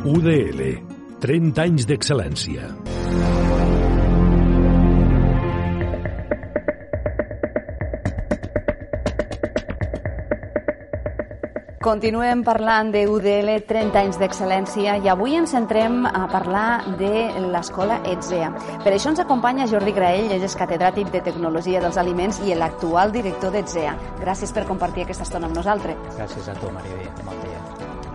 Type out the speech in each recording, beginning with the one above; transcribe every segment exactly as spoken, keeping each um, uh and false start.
U D L, trenta anys d'excel·lència. Continuem parlant de U D L, trenta anys d'excel·lència, i avui ens centrem a parlar de l'escola ETSEA. Per això ens acompanya Jordi Graell, ell és catedràtic de Tecnologia dels Aliments i l'actual director d'ETSEA. Gràcies per compartir aquesta estona amb nosaltres. Gràcies a tu, Maribé. Bon dia.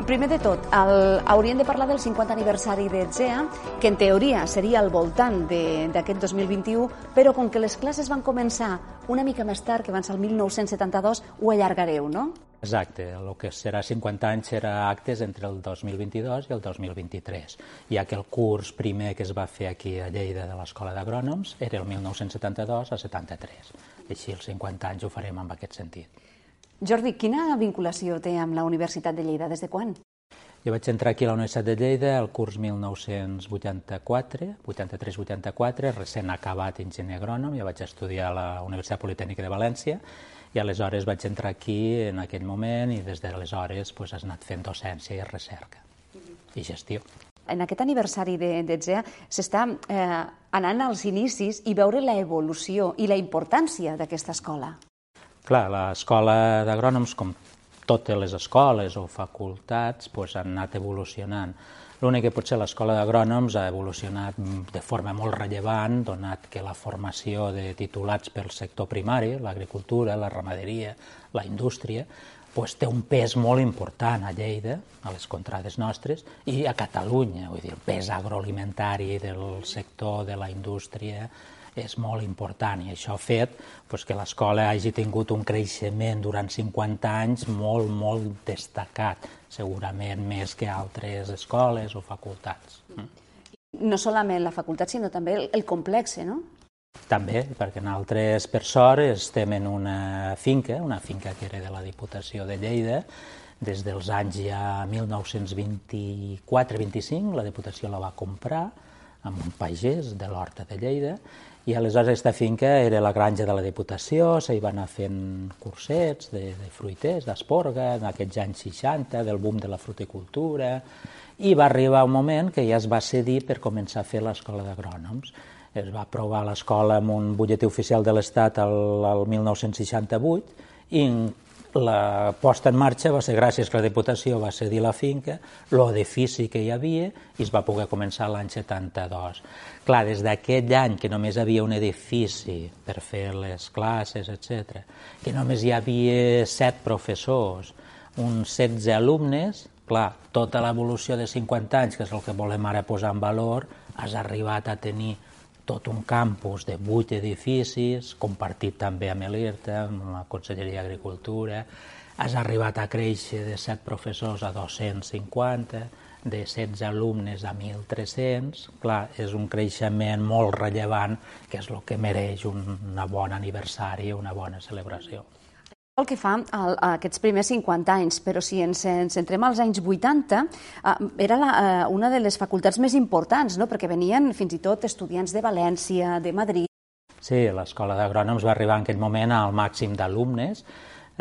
Primer de tot, el, hauríem de parlar del cinquanta aniversari d'ETSEA, que en teoria seria al voltant d'aquest dos mil vint-i-u, però com que les classes van començar una mica més tard, que van ser el mil nou-cents setanta-dos, ho allargareu, no? Exacte, el que serà cinquanta anys serà actes entre el dos mil vint-i-dos i el dos mil vint-i-tres, ja que el curs primer que es va fer aquí a Lleida de l'Escola d'Agrònoms era el mil nou-cents setanta-dos a setanta-tres. Així els cinquanta anys ho farem en aquest sentit. Jordi, quina vinculació té amb la Universitat de Lleida? Des de quan? Jo vaig entrar aquí a la Universitat de Lleida el curs mil nou-cents vuitanta-quatre, vuitanta-tres vuitanta-quatre, recent acabat enginyer agrònom, ja vaig estudiar a la Universitat Politècnica de València, i aleshores vaig entrar aquí en aquell moment i des d'aleshores pues, has anat fent docència i recerca i gestió. En aquest aniversari d'ETSEA s'està eh, anant als inicis i veure l'evolució i la importància d'aquesta escola. Clar, l'escola d'agrònoms, com totes les escoles o facultats, pues, han anat evolucionant. L'únic que potser l'escola d'agrònoms ha evolucionat de forma molt rellevant, donat que la formació de titulats pel sector primari, l'agricultura, la ramaderia, la indústria, pues, té un pes molt important a Lleida, a les contrades nostres, i a Catalunya. Vull dir, el pes agroalimentari del sector de la indústria és molt important, i això ha fet pues, que l'escola hagi tingut un creixement durant cinquanta anys molt, molt destacat, segurament més que altres escoles o facultats. No solament la facultat, sinó també el, el complex, no? També, perquè nosaltres, per sort, estem en una finca, una finca que era de la Diputació de Lleida, des dels anys ja mil nou-cents vint-i-quatre vint-i-cinc, la Diputació la va comprar amb un pagès de l'Horta de Lleida, i aleshores aquesta finca era la granja de la Diputació, s'hi van anar fent cursets de, de fruiters, d'esporga, en aquests anys seixanta, del boom de la fruticultura, i va arribar un moment que ja es va cedir per començar a fer l'escola d'agrònoms. Es va aprovar l'escola amb un butlletí oficial de l'Estat el, el mil nou-cents seixanta-vuit, i la posta en marxa va ser gràcies que la Diputació va cedir la finca, l'edifici que hi havia, i es va poder començar l'any setanta-dos. Clar, des d'aquell any que només hi havia un edifici per fer les classes, etcètera, que només hi havia set professors, uns setze alumnes, clar, tota l'evolució de cinquanta anys, que és el que volem ara posar en valor, has arribat a tenir tot un campus de vuit edificis, compartit també amb l'IRTA, amb la Conselleria d'Agricultura. Has arribat a créixer de set professors a dos-cents cinquanta, de setze alumnes a mil tres-cents. Clar, és un creixement molt rellevant, que és el que mereix un bon aniversari, una bona celebració. El que fa a aquests primers cinquanta anys, però si ens centrem als anys vuitanta, era una de les facultats més importants, no? Perquè venien fins i tot estudiants de València, de Madrid. Sí, l'escola d'agrònoms va arribar en aquell moment al màxim d'alumnes.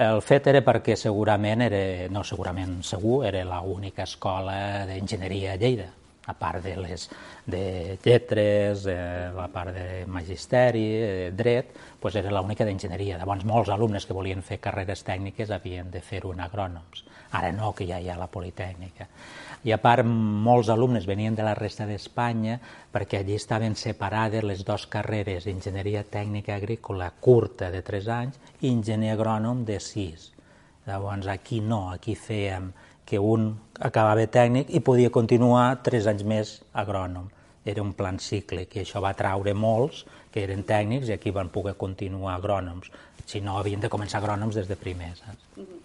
El fet era perquè segurament, era, no segurament segur, era l'única escola d'enginyeria a Lleida, a part de les de lletres, eh, la part de magisteri, eh, dret, doncs era l'única d'enginyeria. Llavors, molts alumnes que volien fer carreres tècniques havien de fer-ho en agrònoms. Ara no, que ja hi ha la Politècnica. I a part, molts alumnes venien de la resta d'Espanya perquè allí estaven separades les dues carreres, enginyeria tècnica agrícola curta de tres anys i enginyer agrònom de sis. Llavors, aquí no, aquí fèiem que un acabava tècnic i podia continuar tres anys més agrònom. Era un plan cicle, que això va atraure molts que eren tècnics i aquí van poder continuar agrònoms. Si no, havien de començar agrònoms des de primer. Saps?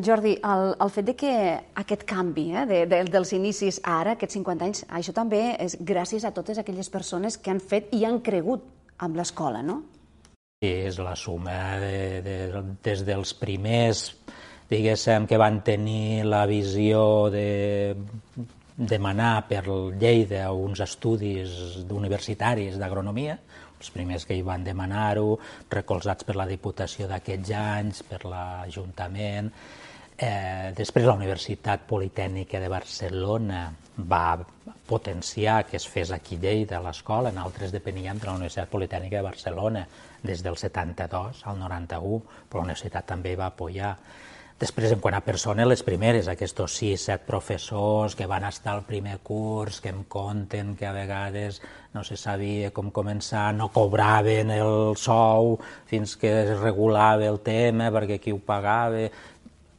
Jordi, el, el fet de que aquest canvi eh, de, de, dels inicis a ara, aquests cinquanta anys, això també és gràcies a totes aquelles persones que han fet i han cregut amb l'escola, no? Sí, és la suma de, de, des dels primers, diguéssim, que van tenir la visió de demanar per Lleida uns estudis universitaris d'agronomia, els primers que hi van demanar-ho, recolzats per la Diputació d'aquests anys, per l'Ajuntament, Eh, després la Universitat Politècnica de Barcelona va potenciar que es fes aquí a Lleida l'escola, nosaltres depeníem de la Universitat Politècnica de Barcelona des del setanta-dos al noranta-u, però la universitat també va apoyar. Després, en quant a persones, les primeres, aquests sis, set professors que van estar al primer curs, que em conten que a vegades no se sabia com començar, no cobraven el sou fins que es regulava el tema perquè qui ho pagava,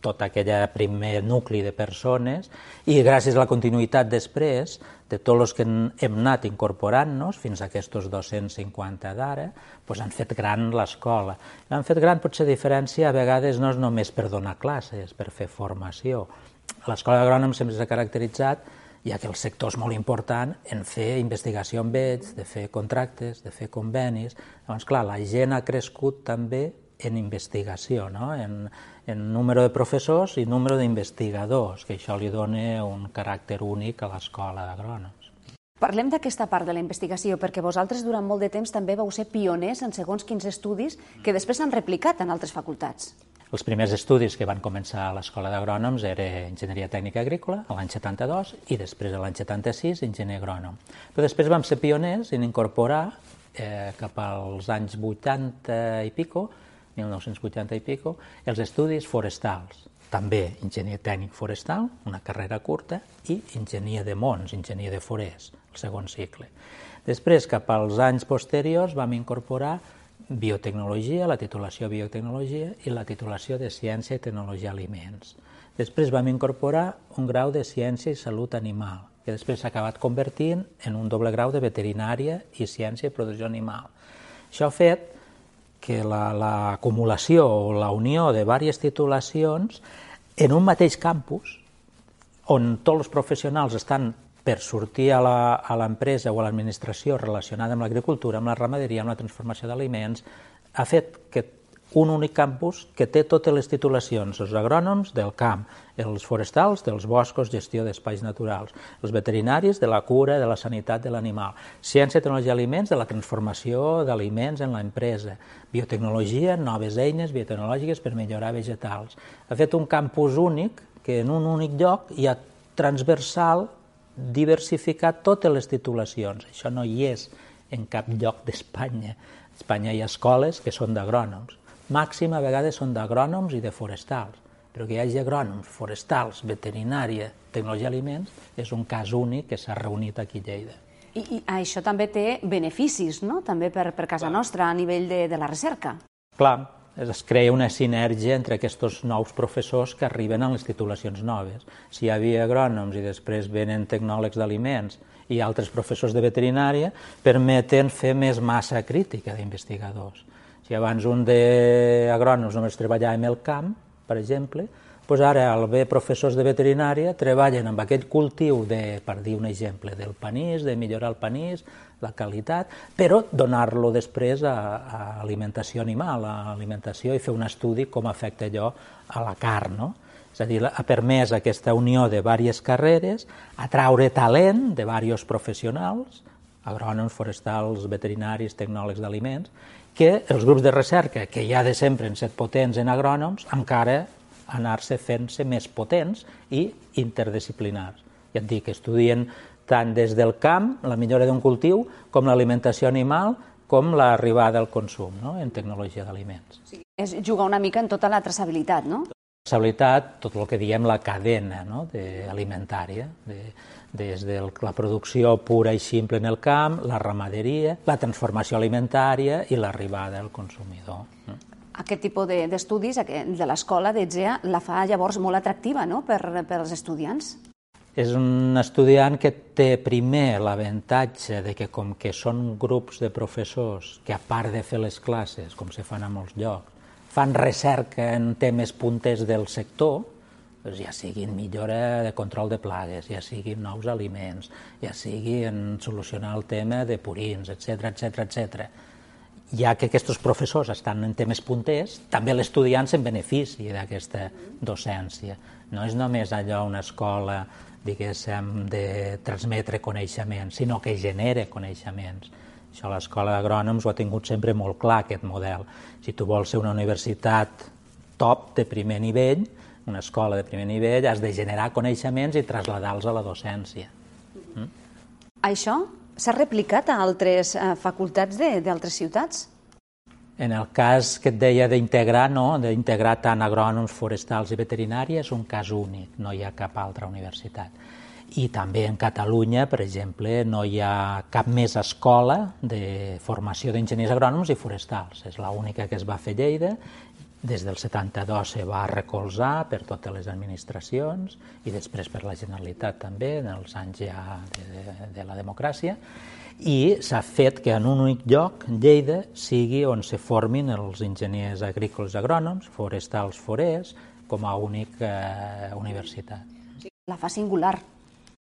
tot aquell primer nucli de persones, i gràcies a la continuïtat després de tots els que hem anat incorporant-nos, fins a aquests dos-cents cinquanta d'ara, doncs han fet gran l'escola. L'han fet gran, potser a diferència, a vegades no és només per donar classes, per fer formació. L'escola d'agrònoms sempre s'ha caracteritzat, ja que el sector és molt important, en fer investigació amb ells, de fer contractes, de fer convenis. Llavors, clar, la gent ha crescut també en investigació, no? en, en número de professors i número d'investigadors, que això li dona un caràcter únic a l'escola d'agrònoms. Parlem d'aquesta part de la investigació, perquè vosaltres durant molt de temps també vau ser pioners en segons quins estudis que després s'han replicat en altres facultats. Els primers estudis que van començar a l'escola d'agrònoms era Enginyeria Tècnica Agrícola, l'any setanta-dos, i després, l'any setanta-sis, enginyer agrònom. Però després vam ser pioners en incorporar, eh, cap als anys vuitanta i pico, mil nou-cents vuitanta i pico, els estudis forestals. També enginyer tècnic forestal, una carrera curta, i enginyer de mons, enginyer de forest, el segon cicle. Després, cap als anys posteriors, vam incorporar biotecnologia, la titulació biotecnologia i la titulació de ciència i tecnologia aliments. Després vam incorporar un grau de ciència i salut animal, que després s'ha acabat convertint en un doble grau de veterinària i ciència i producció animal. Això ha fet que l'acumulació o la unió de diverses titulacions en un mateix campus, on tots els professionals estan per sortir a l'empresa o a l'administració relacionada amb l'agricultura, amb la ramaderia, amb la transformació d'aliments, ha fet que un únic campus que té totes les titulacions, els agrònoms del camp, els forestals dels boscos, gestió d'espais naturals, els veterinaris de la cura, de la sanitat de l'animal, ciència, tecnologia i aliments, de la transformació d'aliments en l'empresa, biotecnologia, noves eines biotecnològiques per millorar vegetals. Ha fet un campus únic que en un únic lloc hi ha transversal, diversificat totes les titulacions. Això no hi és en cap lloc d'Espanya. A Espanya hi ha escoles que són d'agrònoms. Màxim a vegades són d'agrònoms i de forestals, però que hi hagi agrònoms, forestals, veterinària, tecnologia i aliments, és un cas únic que s'ha reunit aquí a Lleida. I, i això també té beneficis, no?, també per, per casa nostra a nivell de, de la recerca. Clar, es crea una sinergia entre aquests nous professors que arriben a les titulacions noves. Si hi havia agrònoms i després venen tecnòlegs d'aliments i altres professors de veterinària, permeten fer més massa crítica d'investigadors. Si abans un d'agrònoms només treballava en el camp, per exemple, doncs ara al haver professors de veterinària treballen amb aquest cultiu, de, per dir un exemple, del panís, de millorar el panís, la qualitat, però donar-lo després a, a alimentació animal, a alimentació, i fer un estudi com afecta allò a la carn, no? És a dir, ha permès aquesta unió de diverses carreres, atraure talent de diversos professionals, agrònoms, forestals, veterinaris, tecnòlegs d'aliments, que els grups de recerca, que ja de sempre han estat potents en agrònoms, encara anar-se fent-se més potents i interdisciplinars. Ja et dic, estudien tant des del camp, la millora d'un cultiu, com l'alimentació animal, com l'arribada al consum, no?, en tecnologia d'aliments. Sí. És jugar una mica en tota la traçabilitat, no? Traçabilitat, tot el que diem la cadena, no?, de, alimentària, de, des de la producció pura i simple en el camp, la ramaderia, la transformació alimentària i l'arribada al consumidor. Aquest tipus d'estudis de l'escola d'E T S E A la fa llavors molt atractiva, no?, per, per als estudiants. És un estudiant que té primer l'avantatge de que, com que són grups de professors que, a part de fer les classes, com se fan a molts llocs, fan recerca en temes punters del sector, doncs ja sigui en millora de control de plagues, ja sigui en nous aliments, ja sigui en solucionar el tema de purins, etcètera, etcètera, etcètera. Ja que aquests professors estan en temes punters, també l'estudiant se'n beneficia d'aquesta docència. No és només allò una escola, diguéssim, de transmetre coneixements, sinó que genera coneixements. Això l'escola d'agrònoms ho ha tingut sempre molt clar, aquest model. Si tu vols ser una universitat top, de primer nivell, una escola de primer nivell, has de generar coneixements i traslladar-los a la docència. Mm? Això s'ha replicat a altres eh, facultats d'altres ciutats? En el cas que et deia d'integrar, no, d'integrar tant agrònoms, forestals i veterinari, és un cas únic, no hi ha cap altra universitat. I també en Catalunya, per exemple, no hi ha cap més escola de formació d'enginyers agrònoms i forestals. És l'única que es va fer a Lleida. Des del setanta-dos se va recolzar per totes les administracions i després per la Generalitat també, en els anys ja de, de, de la democràcia. I s'ha fet que en un únic lloc, Lleida, sigui on se formin els enginyers agrícoles agrònoms, forestals forers, com a única universitat. La fa singular.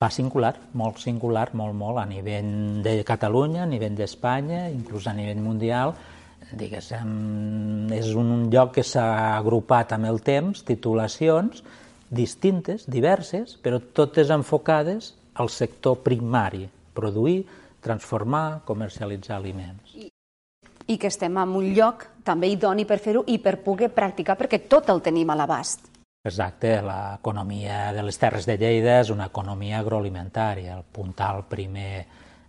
Fa singular, molt singular, molt, molt, a nivell de Catalunya, a nivell d'Espanya, inclús a nivell mundial. Diguéssim, és un lloc que s'ha agrupat amb el temps, titulacions distintes, diverses, però totes enfocades al sector primari, produir, transformar, comercialitzar aliments. I, i que estem en un lloc també idoni per fer-ho i per poder practicar, perquè tot el tenim a l'abast. Exacte, l'economia de les Terres de Lleida és una economia agroalimentària, el puntal primer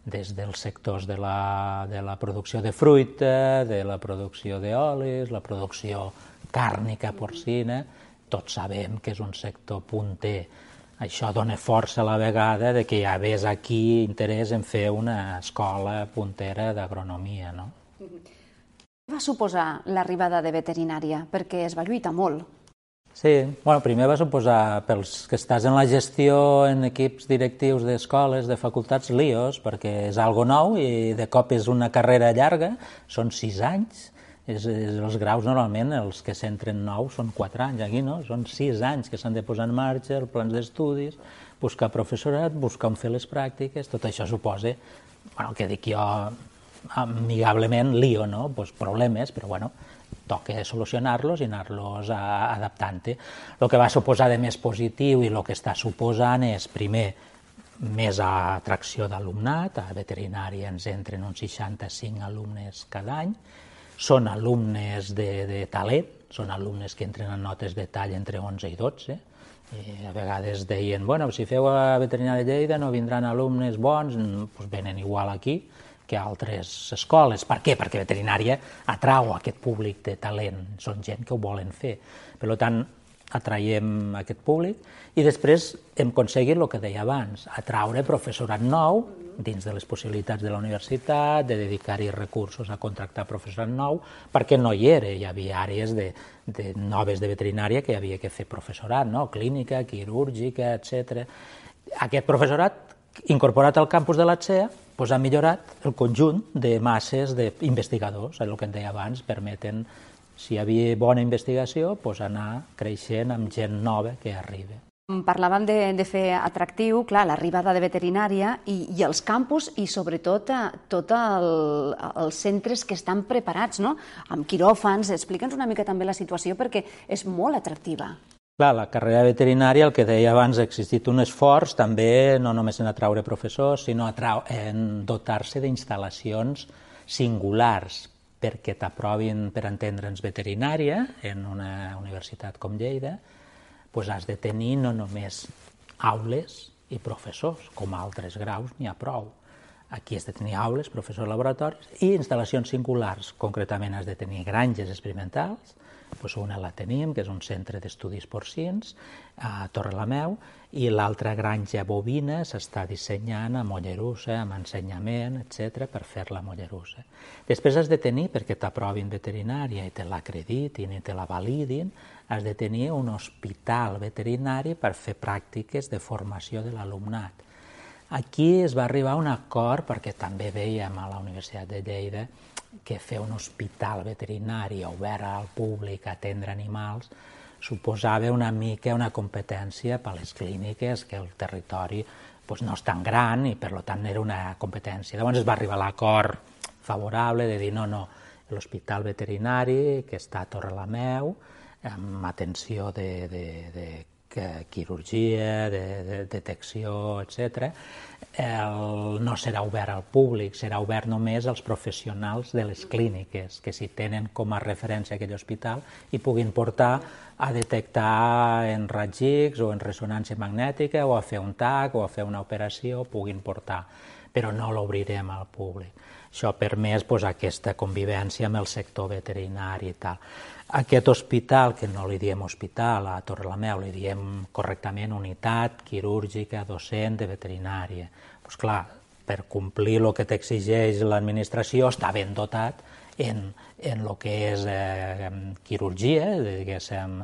des dels sectors de la, de la producció de fruita, de la producció d'olis, la producció càrnica porcina, tots sabem que és un sector punter. Això dona força a la vegada de que hi hagués aquí interès en fer una escola puntera d'agronomia, no? Què va suposar l'arribada de veterinària? Perquè es va lluitar molt. Sí, bueno, primer va suposar, pels que estàs en la gestió en equips directius d'escoles, de facultats, líos, perquè és algo nou i de cop és una carrera llarga, són sis anys, és, és, els graus normalment, els que s'entren nous són quatre anys, aquí no, són sis anys que s'han de posar en marxa, els plans d'estudis, buscar professorat, buscar on fer les pràctiques, tot això suposa, bueno, que dic jo amigablement, lío, no? Pues problemes, però bueno, toca solucionar-los i anar-los adaptant-hi. El que va suposar de més positiu i el que està suposant és, primer, més atracció d'alumnat. A veterinària ens entren uns seixanta-cinc alumnes cada any. Són alumnes de, de talent, són alumnes que entren en notes de tall entre onze i dotze. I a vegades deien, bueno, si feu a veterinària de Lleida no vindran alumnes bons, doncs venen igual aquí que altres escoles. Per què? Perquè veterinària atrau aquest públic de talent, són gent que ho volen fer. Per tant, atraiem aquest públic i després hem aconseguit el que deia abans, atraure professorat nou dins de les possibilitats de la universitat, de dedicar-hi recursos a contractar professorat nou, perquè no hi era, hi havia àrees de, de noves de veterinària que hi havia que fer professorat, no? Clínica, quirúrgica, etcètera. Aquest professorat incorporat al campus de l'A T S E A doncs ha millorat el conjunt de masses d'investigadors, el que em deia abans, permeten, si hi havia bona investigació, doncs anar creixent amb gent nova que arriba. Parlàvem de, de fer atractiu, clar, l'arribada de veterinària i, i els campus i sobretot tots el, els centres que estan preparats, no? Amb quiròfans. Explica'ns una mica també la situació perquè és molt atractiva. Clar, la carrera veterinària, el que deia abans, ha existit un esforç també no només en atraure professors, sinó en dotar-se d'instal·lacions singulars perquè t'aprovin per entendre'ns veterinària en una universitat com Lleida, doncs has de tenir no només aules i professors, com a altres graus n'hi ha prou. Aquí has de tenir aules, professors, laboratoris i instal·lacions singulars. Concretament has de tenir granges experimentals. Doncs una la tenim, que és un centre d'estudis porcins a Torrelameu, i l'altra granja bovina s'està dissenyant a Mollerussa, amb ensenyament, etcètera, per fer-la a Mollerussa. Després has de tenir, perquè t'aprovin veterinària i te l'acreditin i te la validin, has de tenir un hospital veterinari per fer pràctiques de formació de l'alumnat. Aquí es va arribar a un acord, perquè també veiem a la Universitat de Lleida que fer un hospital veterinari obert al públic a atendre animals suposava una mica una competència per a les clíniques, que el territori doncs, no és tan gran i per tant era una competència. Llavors es va arribar a l'acord favorable de dir no, no, l'hospital veterinari que està a Torrelameu, amb atenció de, de, de quirurgia, de, de detecció, etcètera, el, no serà obert al públic, serà obert només als professionals de les clíniques, que si tenen com a referència aquell hospital i puguin portar a detectar en raigs X o en ressonància magnètica o a fer un tac o a fer una operació, puguin portar, però no l'obrirem al públic. Això ha permès pues, aquesta convivència amb el sector veterinari i tal. Aquest hospital, que no li diem hospital, a Torrelameu li diem correctament unitat quirúrgica docent de veterinària. Pues, clar, per complir el que t'exigeix l'administració està ben dotat en, en el que és eh, quirurgia, diguéssim,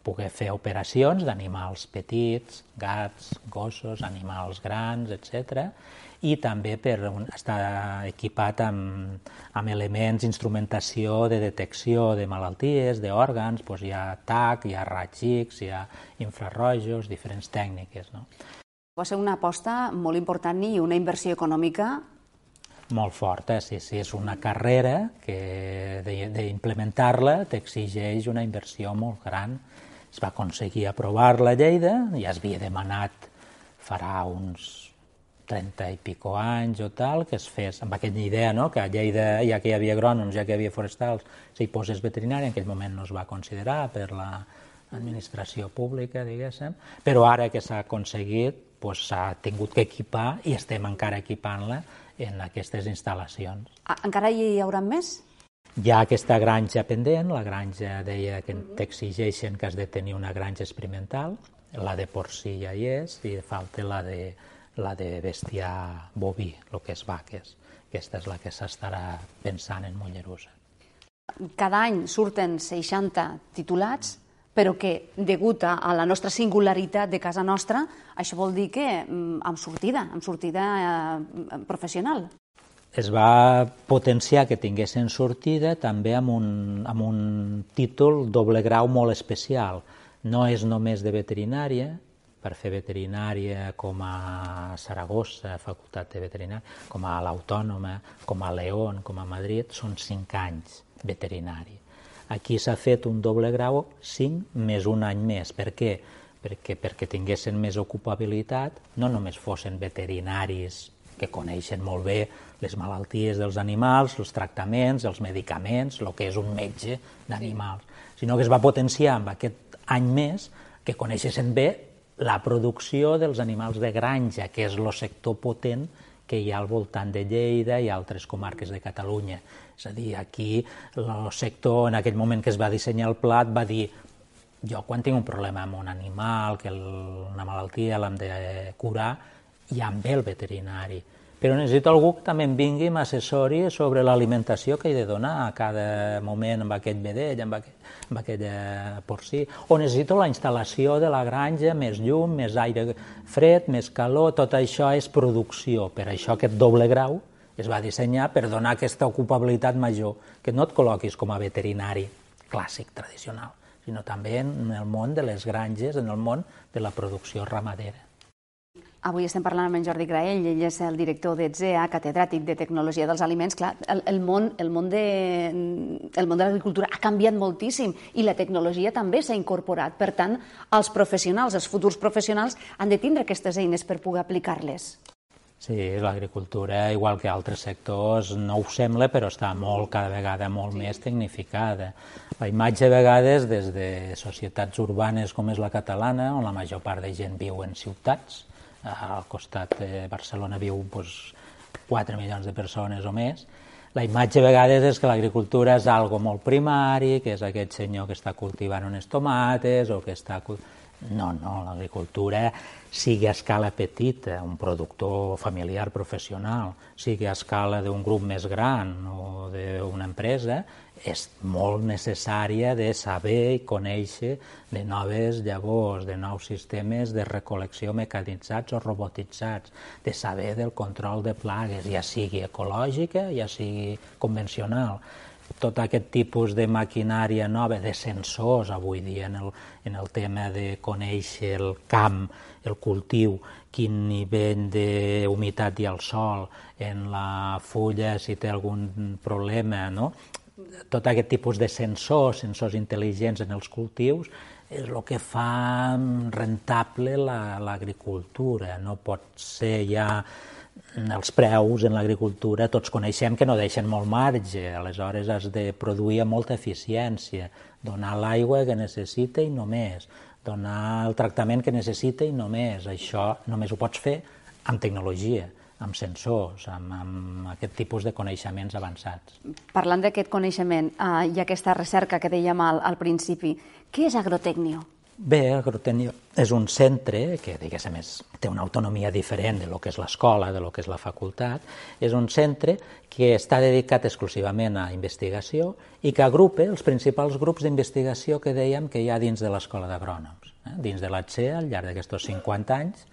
poder fer operacions d'animals petits, gats, gossos, animals grans, etcètera, i també per estar equipat amb, amb elements, instrumentació de detecció de malalties, d'òrgans, doncs hi ha tac, hi ha raigs X, hi ha infrarrojos, diferents tècniques. No? Va ser una aposta molt important i una inversió econòmica molt forta, sí, sí, és una carrera que d'implementar-la t'exigeix una inversió molt gran. Es va aconseguir aprovar-la a Lleida, ja es havia demanat farà uns trenta i pico anys o tal, que es fes amb aquella idea, no?, que a Lleida, ja que hi havia agrònoms, ja que hi havia forestals, s'hi posés veterinari, en aquell moment no es va considerar per l'administració pública, diguéssim, però ara que s'ha aconseguit, s'ha tingut que equipar i estem encara equipant-la en aquestes instal·lacions. Encara hi haurà més? Hi ha aquesta granja pendent, la granja deia que t'exigeixen que has de tenir una granja experimental, la de porcí ja hi és, i falta la de la de bestiar boví, el que és vaques. Aquesta és la que s'estarà pensant en Mollerussa. Cada any surten seixanta titulats, però que, degut a la nostra singularitat de casa nostra, això vol dir que amb sortida, amb sortida professional. Es va potenciar que tinguessin sortida també amb un, amb un títol doble grau molt especial. No és només de veterinària, per fer veterinària com a Saragossa, Facultat de Veterinària, com a l'Autònoma, com a León, com a Madrid, són cinc anys veterinari. Aquí s'ha fet un doble grau, cinc més un any més. Per què? Perquè, perquè tinguessin més ocupabilitat, no només fossin veterinaris que coneixen molt bé les malalties dels animals, els tractaments, els medicaments, el que és un metge d'animals, sinó que es va potenciar amb aquest any més que coneixessin bé la producció dels animals de granja, que és el sector potent que hi ha al voltant de Lleida i altres comarques de Catalunya. És a dir, aquí el sector, en aquell moment que es va dissenyar el pla, va dir jo quan tinc un problema amb un animal, que una malaltia l'hem de curar, ja em ve el veterinari. Però necessito algú que també em vingui i m'assessori sobre l'alimentació que he de donar a cada moment amb aquest vedell, amb aquell, amb aquell porcí. O necessito la instal·lació de la granja, més llum, més aire fred, més calor, tot això és producció. Per això aquest doble grau es va dissenyar per donar aquesta ocupabilitat major, que no et col·loquis com a veterinari clàssic, tradicional, sinó també en el món de les granges, en el món de la producció ramadera. Avui estem parlant amb en Jordi Graell, ell és el director d'ETSEA, catedràtic de Tecnologia dels Aliments. Clar, el, el, món, el, món de, el món de l'agricultura ha canviat moltíssim i la tecnologia també s'ha incorporat. Per tant, els professionals, els futurs professionals, han de tindre aquestes eines per poder aplicar-les. Sí, l'agricultura, igual que altres sectors, no ho sembla, però està molt, cada vegada molt sí. més tecnificada. La imatge, a vegades, des de societats urbanes com és la catalana, on la major part de gent viu en ciutats, al costat de Barcelona viu doncs, quatre milions de persones o més. La imatge a vegades és que l'agricultura és algo molt primari, que és aquest senyor que està cultivant unes tomates o que està... No, no, l'agricultura, sigui a escala petita, un productor familiar professional, sigui a escala d'un grup més gran o d'una empresa, és molt necessària de saber i conèixer de noves llavors, de nous sistemes de recol·lecció mecanitzats o robotitzats, de saber del control de plagues, ja sigui ecològica, ja sigui convencional. Tot aquest tipus de maquinària nova, de sensors, avui dia, en el, en el tema de conèixer el camp, el cultiu, quin nivell d'humitat hi ha al sol, en la fulla, si té algun problema, no? Tot aquest tipus de sensors, sensors intel·ligents en els cultius, és el que fa rentable l'agricultura. No pot ser ja els preus en l'agricultura, tots coneixem que no deixen molt marge, aleshores has de produir amb molta eficiència, donar l'aigua que necessita i no més, donar el tractament que necessita i no més. Això només ho pots fer amb tecnologia, amb sensors, amb, amb aquest tipus de coneixements avançats. Parlant d'aquest coneixement eh, i aquesta recerca que dèiem al, al principi, què és Agrotecnio? Bé, Agrotecnio és un centre que, diguéssim, té una autonomia diferent de lo que és l'escola, de lo que és la facultat. És un centre que està dedicat exclusivament a investigació i que agrupa els principals grups d'investigació que dèiem que hi ha dins de l'Escola d'Agrònoms. Eh? Dins de l'A T S E, al llarg d'aquests cinquanta anys,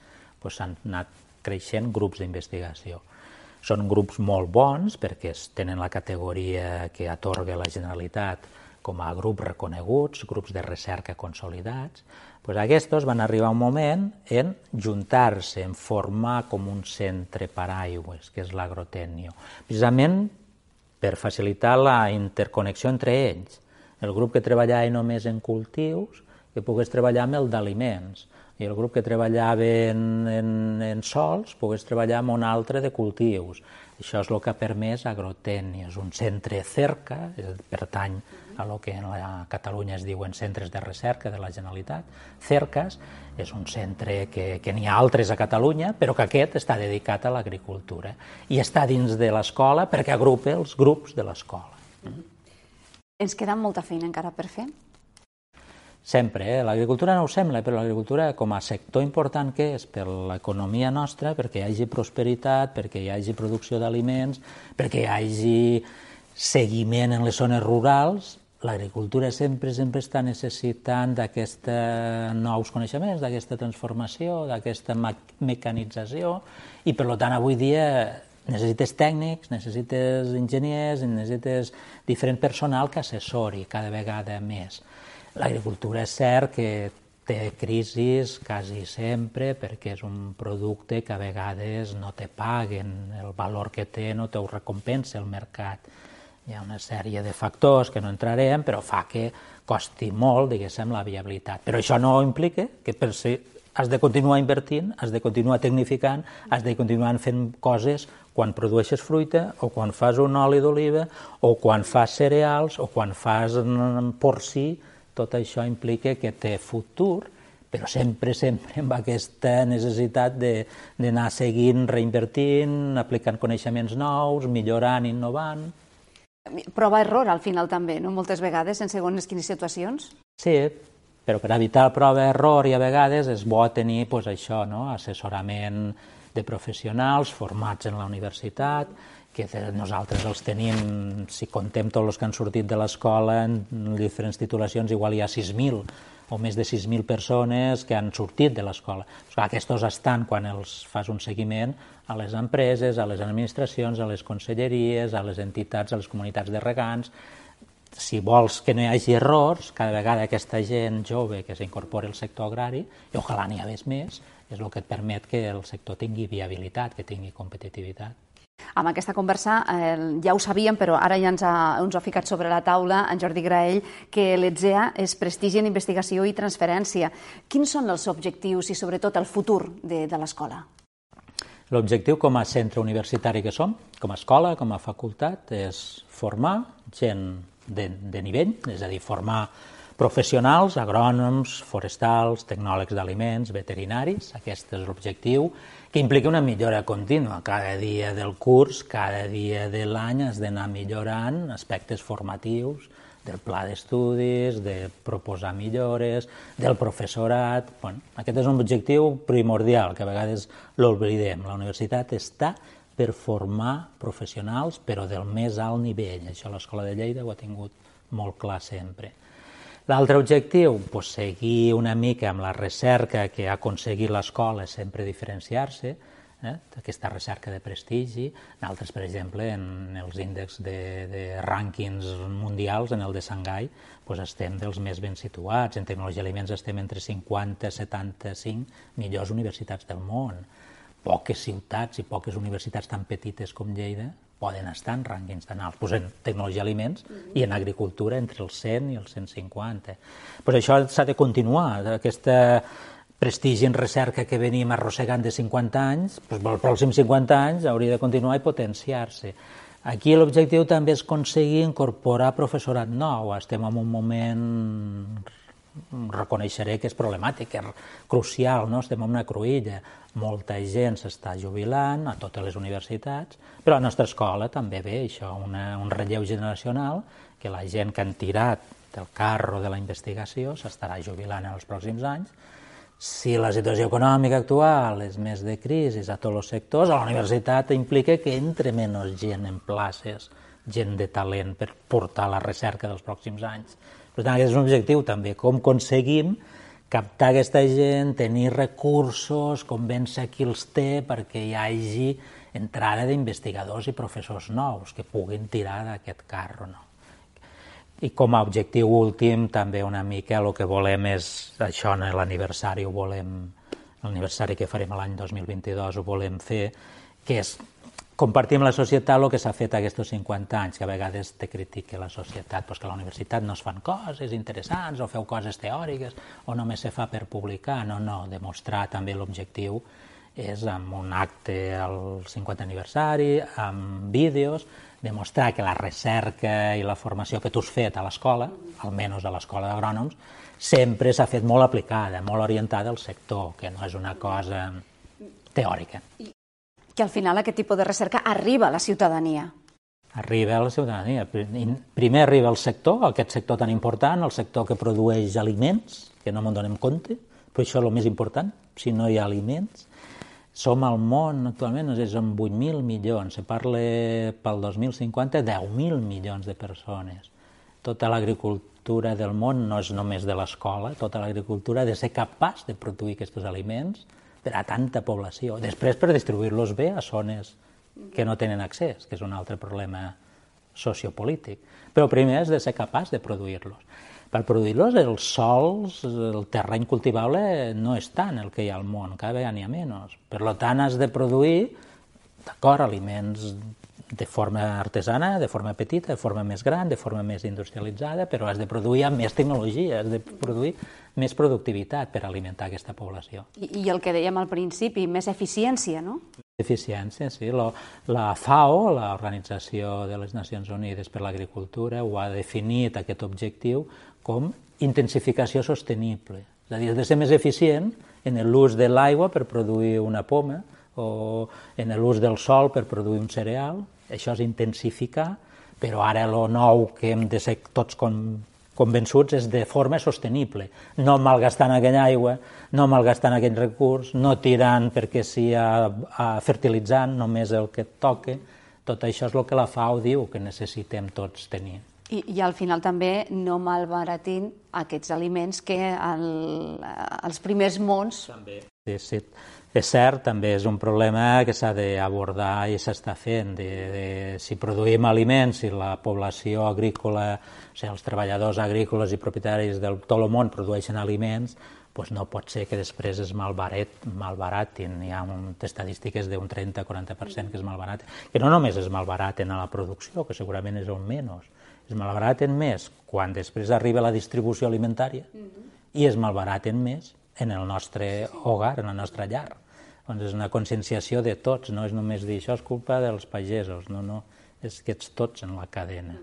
s'han anat creixent grups d'investigació. Són grups molt bons perquè tenen la categoria que atorga la Generalitat com a grups reconeguts, grups de recerca consolidats. Pues aquests van arribar un moment en juntar-se, en formar com un centre paraigües, que és l'Agrotecnio, precisament per facilitar la interconnexió entre ells. El grup que treballava només en cultius, que pogués treballar amb el d'aliments, i el grup que treballava en, en, en sols pogués treballar amb un altre de cultius. Això és el que ha permès Agrotecnio. És un centre cerca, pertany a el que en la Catalunya es diuen centres de recerca de la Generalitat. Cercas és un centre que, que n'hi ha altres a Catalunya, però que aquest està dedicat a l'agricultura i està dins de l'escola perquè agrupa els grups de l'escola. Ens queda molta feina encara per fer? Sempre, eh? L'agricultura no ho sembla, però l'agricultura com a sector important que és per l'economia nostra, perquè hi hagi prosperitat, perquè hi hagi producció d'aliments, perquè hi hagi seguiment en les zones rurals, l'agricultura sempre sempre està necessitant d'aquests nous coneixements, d'aquesta transformació, d'aquesta mecanització, i per tant avui dia necessites tècnics, necessites enginyers, necessites diferent personal que assessori cada vegada més. L'agricultura és cert que té crisis quasi sempre perquè és un producte que a vegades no te paguen, el valor que té no te ho recompensa el mercat. Hi ha una sèrie de factors que no entrarem, però fa que costi molt, diguéssim, la viabilitat. Però això no implica que per si has de continuar invertint, has de continuar tecnificant, has de continuar fent coses quan produeixes fruita, o quan fas un oli d'oliva, o quan fas cereals, o quan fas porcí. Tot això implica que té futur, però sempre, sempre amb aquesta necessitat d'anar seguint, reinvertint, aplicant coneixements nous, millorant, innovant. Prova-error al final també, no? Moltes vegades, en segons quines situacions. Sí, però per evitar el prova-error i a vegades és bo tenir pues, això, no? Assessorament de professionals formats en la universitat, que nosaltres els tenim, si contem tots els que han sortit de l'escola en diferents titulacions, igual hi ha sis mil o més de sis mil persones que han sortit de l'escola. Aquests estan, quan els fas un seguiment, a les empreses, a les administracions, a les conselleries, a les entitats, a les comunitats de regants. Si vols que no hi hagi errors, cada vegada aquesta gent jove que s'incorpora al sector agrari, i ojalà n'hi hagués més, és el que et permet que el sector tingui viabilitat, que tingui competitivitat. Amb aquesta conversa eh, ja ho sabíem, però ara ja ens ha, ens ha ficat sobre la taula en Jordi Graell que l'E T S E A és prestigi en investigació i transferència. Quins són els objectius i sobretot el futur de, de l'escola? L'objectiu com a centre universitari que som, com a escola, com a facultat, és formar gent de, de nivell, és a dir, formar professionals, agrònoms, forestals, tecnòlegs d'aliments, veterinaris. Aquest és l'objectiu, que implica una millora contínua. Cada dia del curs, cada dia de l'any has d'anar millorant aspectes formatius del pla d'estudis, de proposar millores, del professorat. Bueno, aquest és un objectiu primordial, que a vegades l'oblidem. La universitat està per formar professionals, però del més alt nivell. Això l'Escola de Lleida ho ha tingut molt clar sempre. L'altre objectiu, doncs, seguir una mica amb la recerca que ha aconseguit l'escola, sempre diferenciar-se, eh? Aquesta recerca de prestigi. Nosaltres, per exemple, en els índexs de, de rànquings mundials, en el de Xangai, doncs estem dels més ben situats. En tecnologia d'aliments estem entre cinquanta i setanta-cinc millors universitats del món. Poques ciutats i poques universitats tan petites com Lleida poden estar en rànquings tan alts, pues en tecnologia d'aliments i en agricultura entre els cent i els cent cinquanta. Pues això s'ha de continuar, aquesta prestigi en recerca que venim arrossegant de cinquanta anys, pues els pròxims cinquanta anys hauria de continuar i potenciar-se. Aquí l'objectiu també és aconseguir incorporar professorat nou. Estem en un moment, reconeixeré que és problemàtic, que és crucial, no? Estem en una cruïlla. Molta gent s'està jubilant a totes les universitats, però a la nostra escola també ve això, una, un relleu generacional, que la gent que han tirat del carro de la investigació s'estarà jubilant en els pròxims anys. Si la situació econòmica actual és més de crisi a tots els sectors, a la universitat implica que entre menys gent en places, gent de talent per portar la recerca dels pròxims anys. Per tant, aquest és un objectiu també, com aconseguim captar aquesta gent, tenir recursos, convèncer qui els té perquè hi hagi entrada d'investigadors i professors nous que puguin tirar d'aquest carro. No? I com a objectiu últim, també una mica el que volem és, això en l'aniversari ho volem, l'aniversari que farem l'any dos mil vint-i-dos ho volem fer, que és compartir amb la societat el que s'ha fet aquests cinquanta anys, que a vegades te critica la societat, doncs que a la universitat no es fan coses interessants, o feu coses teòriques, o només se fa per publicar. No, no, demostrar també l'objectiu és amb un acte al cinquanta aniversari, amb vídeos, demostrar que la recerca i la formació que tu has fet a l'escola, almenys a l'escola d'agrònoms, sempre s'ha fet molt aplicada, molt orientada al sector, que no és una cosa teòrica. Que al final aquest tipus de recerca arriba a la ciutadania. Arriba a la ciutadania. Primer arriba al sector, aquest sector tan important, el sector que produeix aliments, que no me'n donem compte, però això és el més important, si no hi ha aliments. Som al món actualment, no sé, som vuit mil milions, se parla pel dos mil cinquanta deu mil milions de persones. Tota l'agricultura del món no és només de l'escola, tota l'agricultura ha de ser capaç de produir aquests aliments per a tanta població. Després, per distribuir-los bé a zones que no tenen accés, que és un altre problema sociopolític. Però primer has de ser capaç de produir-los. Per produir-los, els sols, el terreny cultivable no és tant el que hi ha al món, cada vegada n'hi ha menys. Per tant, has de produir, d'acord, aliments de forma artesana, de forma petita, de forma més gran, de forma més industrialitzada, però has de produir amb més tecnologia, has de produir més productivitat per alimentar aquesta població. I, i el que dèiem al principi, més eficiència, no? Eficiència, sí. La, la FAO, l'Organització de les Nacions Unides per l'Agricultura, ho ha definit, aquest objectiu, com intensificació sostenible. És a dir, has de ser més eficient en l'ús de l'aigua per produir una poma o en l'ús del sol per produir un cereal. Això és intensificar, però ara el nou que hem de ser tots com convençuts és de forma sostenible, no malgastant aquella aigua, no malgastant aquell recurs, no tirant perquè sigui fertilitzant només el que et toca. Tot això és el que la FAO diu que necessitem tots tenir. I, i al final també no malbaratint aquests aliments que el, els primers mons... També. Sí, sí. És cert, també és un problema que s'ha d'abordar i s'està fent. De, de, si produïm aliments, si la població agrícola, o sigui, els treballadors agrícoles i propietaris del tot el món produeixen aliments, doncs no pot ser que després es malbarat, malbaratin. Hi ha un, estadístiques d'un trenta a quaranta per cent que es malbaraten. Que no només es malbaraten a la producció, que segurament és un menys, es malbaraten més quan després arriba la distribució alimentària i es malbaraten més en el nostre hogar, en la nostra llar. Doncs és una conscienciació de tots, no és només dir això és culpa dels pagesos, no, no, és que ets tots en la cadena.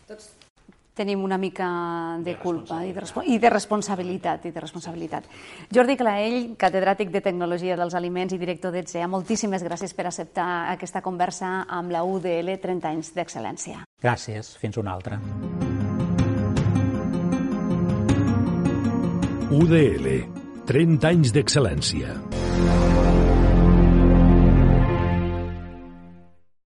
Tots tenim una mica de culpa i de, i de responsabilitat. I de responsabilitat. Jordi Claell, catedràtic de Tecnologia dels Aliments i director d'E T S E A, moltíssimes gràcies per acceptar aquesta conversa amb la U D L trenta anys d'excel·lència. Gràcies, fins una altra. U D L, trenta anys d'excel·lència.